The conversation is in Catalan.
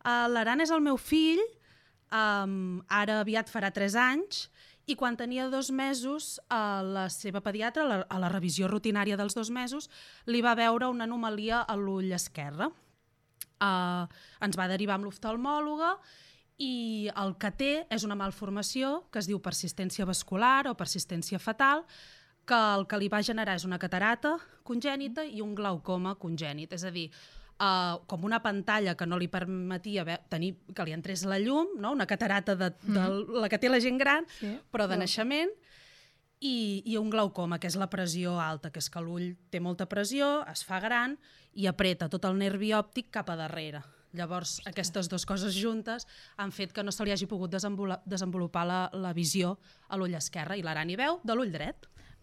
L'Aran és el meu fill, ara aviat farà 3 anys, i quan tenia 2 mesos, la seva pediatra, a la revisió rutinària dels 2 mesos, li va veure una anomalia a l'ull esquerre. Ens va derivar amb l'oftalmòloga i el que té és una malformació que es diu persistència vascular o persistència fetal, que el que li va generar és una catarata congènita i un glaucoma congènit, és a dir, com una pantalla que no li permetia tenir que li entrés la llum, no? Una catarata de la que té la gent gran, però de naixement, i un glaucoma, que és la pressió alta, que és que l'ull té molta pressió, es fa gran i apreta tot el nervi òptic cap a darrere. Llavors, aquestes dues coses juntes han fet que no se li hagi pogut desenvolupar la visió a l'ull esquerre, i l'Aran hi veu de l'ull dret.